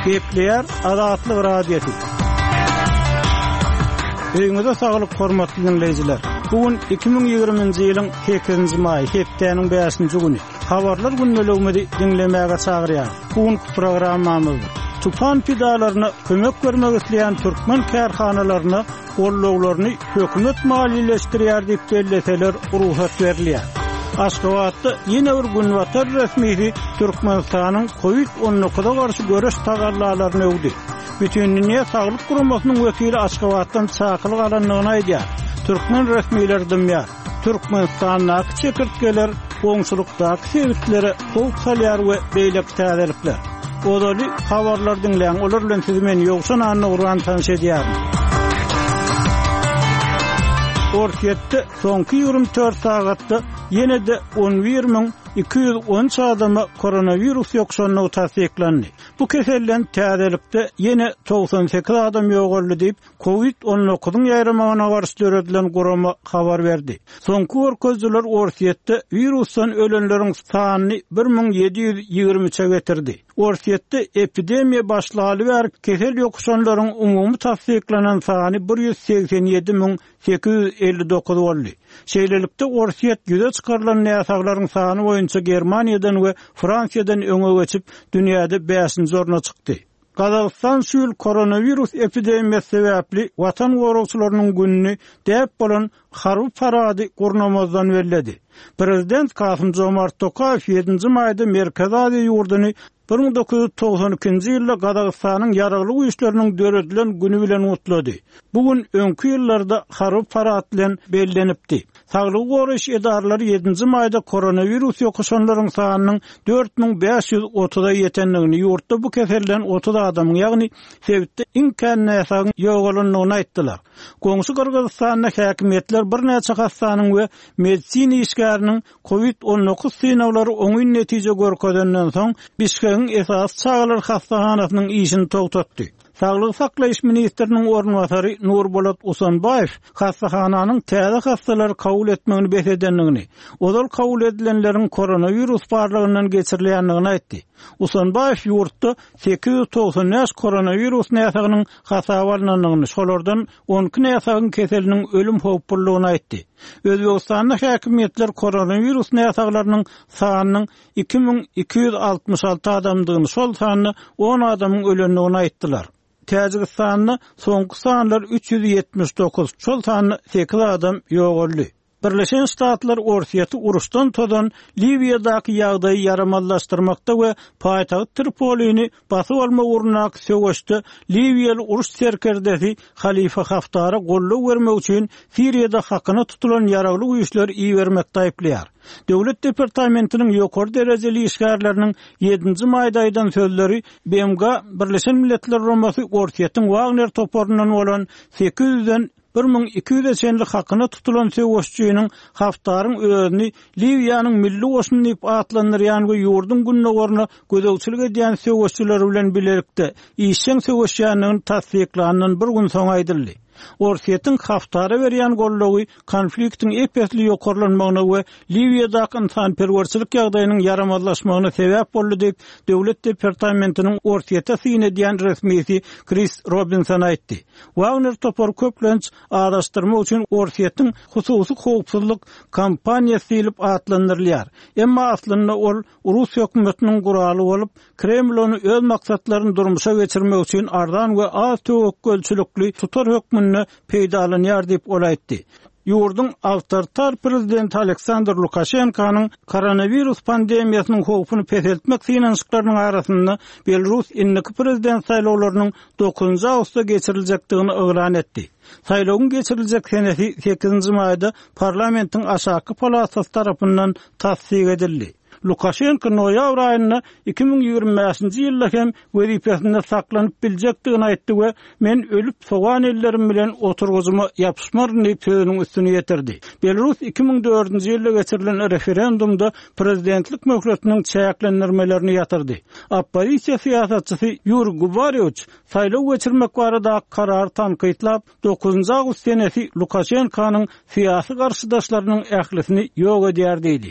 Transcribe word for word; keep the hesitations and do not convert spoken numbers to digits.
Gepleýär Azatlyk Radiosy. Öýüňize saglyk hormatly dinleýjiler. Bu gün iki müň ýigriminji ýylyň sekizinji maýy, hepdäniň bäşinji güni. Habarlar gündeligimizi diňlemäge çagyrýar. Bu günki programmamyzda tupan pidalaryna kömek bermek isleýän türkmen kärhanalaryna gollawlaryny hökümet maliýeleşdirýär diýip belleseler rugsat berilýär. Aşgabatda ýene bir günbatar resmisi Türkmenistanyň COVID on dokuza garşy göreş tagallalaryny öwdi. Bütindünýä Saglyk Guramasynyň wekili Aşgabatdan çakylyk alandygyny aýdýar. Türkmen resmileri dymýar. Türkmenistandaky çekirtgeler goňşulykdaky sebitlere howp salýar we beýleki täzelikler. Ozaly habarlar diňläň, olar bilen sizi men Ýowşan Annagurban tanyş edýärin. Orsýetde soňky ýigrimi dört sagatda ýene-de on bir müň iki ýüz on üç adama koronawirus ýokuşandygy tassyklandy. Bu keselden täzelikde ýene togsan sekiz adam ýogaldy diýip, COVID on dokuzyň ýaýramagyna garşy döredilen gurama habar berdi. Soňky görkezijiler Orsýetde wirusdan ölenleriň sanyny bir müň ýedi ýüz ýigrimi üçe getirdi. Orsýetde epidemiýa başlaly bäri kesel ýokuşanlaryň umumy tassyklanan sany bir ýüz segsen ýedi müň sekiz ýüz elli dokuz boldy. Şeýlelikde Orsýet ýüze çykarylan näsaglaryň sany boýunça Germaniýadan we Fransiýadan öňe geçip, dünýäde bäşinji orna çykdy. Gazagystan şu ýyl koronawirus epidemiýasy sebäpli watan goragçylarynyň gününi däp bolan harby parady gurnamazdan belledi. Prezident Kasym Jomart Tokaýew ýedinji maýda Merkezi Aziýa ýurduny bir müň dokuz ýüz togsan ikinji ýylda Gazagystanyň ýaragly güýçleriniň döredilen günü bilen gutlady. Bu gün öňki ýyllarda harby parad bilen bellenipdi. Saglygy goraýyş edaralary ýedinji maýda koronawirus ýokuşanlaryň sanynyň dört müň bäş ýüz otuza ýetendigini, ýurtda bu keselden otuz adamyň, ýagny sebitde iň kän näsagyň ýogalandygyny aýtdylar. Goňşy Gyrgyzystanda häkimiýetler birnäçe hassanyň we medisina işgäriniň COVID on dokuz synaglary oňyn netije görkezenden soň Bişkegiň esasy çagalar hassahanasynyň işini togtatdy. Saglygy saklaýyş ministriniň orunbasary Nurbolat Usanbaýew hassahananyň täze hassalary kabul etmegini bes edendigini, ozal kabul edilenleriň koronawirus barlygyndan geçirilýändigini aýtdy. Usanbaýew ýurtda sekiz ýüz togsan bäş koronawirus näsagynyň hasaba alynandygyny, şolardan on iki näsagyň keseliniň ölüm howplulygyny aýtdy. Özbekistanda häkimiýetler koronawirus näsaglarynyň sanynyň iki müň iki ýüz altmyş alty adamdygyny, şol sanda on adamyň ölendigini aýtdylar. Täjigistanda soňky sanlar üç ýüz ýetmiş dokuz, şol sanda sekiz adam ýogaldy. Birleşen Ştatlar Orsýeti uruşdan tozan Liwiýadaky ýagdaýy ýaramazlaşdyrmakda we paýtagt Tripolini basyp almak ugrundaky söweşde Liwiýaly uruş serkerdesi Halife Haftara gollag bermek üçin Siriýada hakyna tutulan ýaragly güýçler ibermekde aýyplaýar. Döwlet departamentiniň ýokary derejeli işgärleriniň ýedinji maýda aýdan sözleri B M G Birleşen Milletler Guramasy Orsýetiň Wagner toparyndan bolan sekiz ýüzden bir müň iki ýüze çenli hakyna tutulan söweşçiniň Haftaryň özüni Liwiýanyň milli goşuny diýip atlandyrýan we ýurduň gündogaryna gözegçilik edýän söweşçiler bilen bilelikde işjeň söweşýändigini tassyklandan bir gün soň aýdyldy. Orsýetiň Haftara berýän goldawy konfliktiň ep-esli ýokarlanmagyna we Liwiýadaky insanperwerçilik ýagdaýynyň ýaramazlaşmagyna sebäp boldy diýip, Döwlet departamentiniň Orsýete syn edýän resmisi Chris Robinson aýtdy. Wagner topary köplenç araşdyrmak üçin Orsýetiň hususy howpsuzlyk kompaniýasy diýlip atlandyrylýar. Emma aslynda ol Rus hökümetiniň guraly bolup, Kreml ony öz maksatlaryny durmuşa geçirmek üçin arzan we az töwekgelçilikli tutar hökmünde peýdalanýar diýip ol aýtdy. Ýurduň awtoritar prezidenti Aleksandr Lukaşenkonyň koronawirus pandemiýasynyň howpuny peseltmek synanyşyklarynyň arasynda Belarus indiki prezident saýlawlarynyň dokuzynjy awgustda geçiriljekdigini yglan etdi. Saýlawyň geçiriljek senesi sekizinji maýda parlamentiň aşaky palatasy tarapyndan tassyk edildi. Lukaşenko noýabr aýynda iki müň ýigrimi bäşinji ýylda hem wezipesinde saklanyp biljekdigini aýtdy we men ölüp sogan ellerim bilen oturgyjyma ýapyşmaryn diýip sözüniň üstüni ýetirdi. Belarus iki müň dördünji ýylda geçirilen referendumda prezidentlik möhletiniň çäklendirmelerini ýatyrdy. Oppozisiýa syýasatçysy Ýuriý Gubarýewç saýlaw geçirmek barada karar tankytlap, dokuzynjy awgust senesi Lukaşenkonyň syýasy garşydaşlarynyň ählisini ýok edýär diýdi.